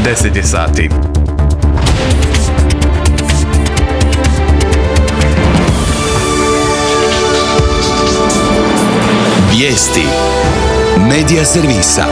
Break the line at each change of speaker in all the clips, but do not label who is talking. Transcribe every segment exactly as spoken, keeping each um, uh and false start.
deset je sati.
Vijesti Medija servisa.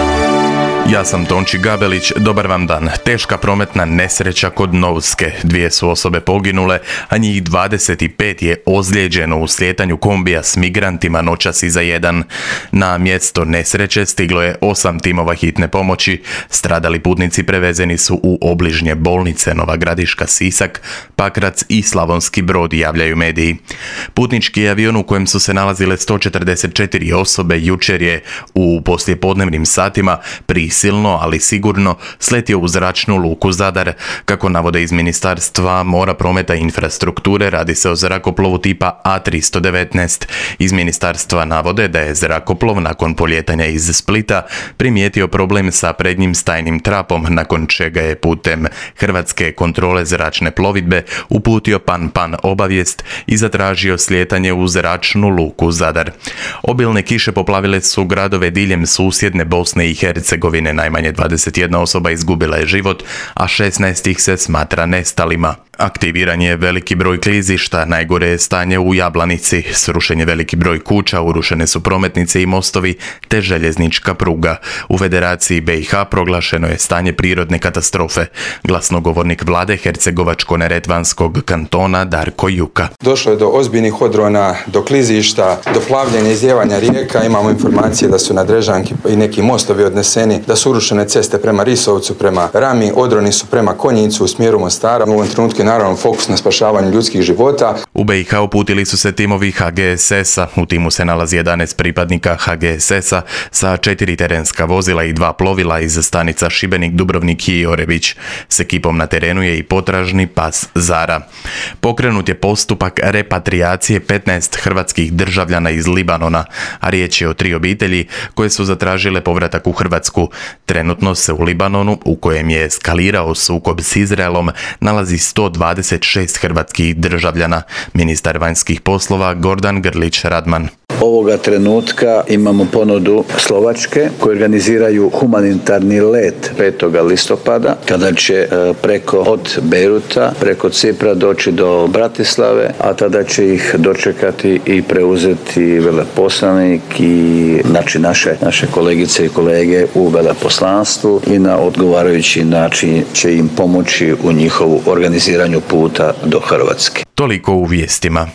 Ja sam Tonči Gabelić, dobar vam dan. Teška prometna nesreća kod Novske. Dvije su osobe poginule, a njih dvadeset pet je ozlijeđeno u slijetanju kombija s migrantima noćas iza jedan. Na mjesto nesreće stiglo je osam timova hitne pomoći. Stradali putnici prevezeni su u obližnje bolnice Nova Gradiška, Sisak, Pakrac i Slavonski Brod, javljaju mediji. Putnički avion u kojem su se nalazile sto četrdeset četiri osobe jučer je u poslijepodnevnim satima pri silno, ali sigurno sletio u zračnu luku Zadar. Kako navode iz Ministarstva mora, prometa i infrastrukture, radi se o zrakoplovu tipa A tristo devetnaest. Iz ministarstva navode da je zrakoplov nakon poljetanja iz Splita primijetio problem sa prednjim stajnim trapom, nakon čega je putem Hrvatske kontrole zračne plovidbe uputio pan-pan obavijest i zatražio slijetanje u zračnu luku Zadar. Obilne kiše poplavile su gradove diljem susjedne Bosne i Hercegovine. Najmanje dvadeset jedna osoba izgubila je život, a šesnaest ih se smatra nestalima. Aktiviran je veliki broj klizišta, najgore je stanje u Jablanici. Srušen je veliki broj kuća, urušene su prometnice i mostovi te željeznička pruga. U Federaciji B i H proglašeno je stanje prirodne katastrofe. Glasnogovornik vlade Hercegovačko-neretvanskog kantona Darko Juka.
Došlo je do ozbiljnih odrona, do klizišta, do plavljenja i izlijevanja rijeka. Imamo informacije da su na Drežanki i neki mostovi odneseni, da su urušene ceste prema Risovcu, prema Rami, odroni su prema Konjicu u smjeru Mostara. U ovom trenutku je naravno fokus na spašavanju ljudskih života.
U B i H uputili su se timovi H G S S-a. U timu se nalazi jedanaest pripadnika H G S S-a sa četiri terenska vozila i dva plovila iz stanica Šibenik, Dubrovnik i Orebić. S ekipom na terenu je i potražni pas Zara. Pokrenut je postupak repatriacije petnaest hrvatskih državljana iz Libanona, a riječ je o tri obitelji koje su zatražile povratak u Hrvatsku. Trenutno se u Libanonu, u kojem je eskalirao sukob s Izraelom, nalazi sto dvadeset šest hrvatskih državljana. Ministar vanjskih poslova Gordan Grlić Radman.
Ovoga trenutka imamo ponudu Slovačke koji organiziraju humanitarni let petog listopada, kada će preko od Bejruta, preko Cipra doći do Bratislave, a tada će ih dočekati i preuzeti veleposlanik i znači naše, naše kolegice i kolege u veleposlanstvu i na odgovarajući način će im pomoći u njihovu organiziranju puta do Hrvatske.
Toliko u vijestima.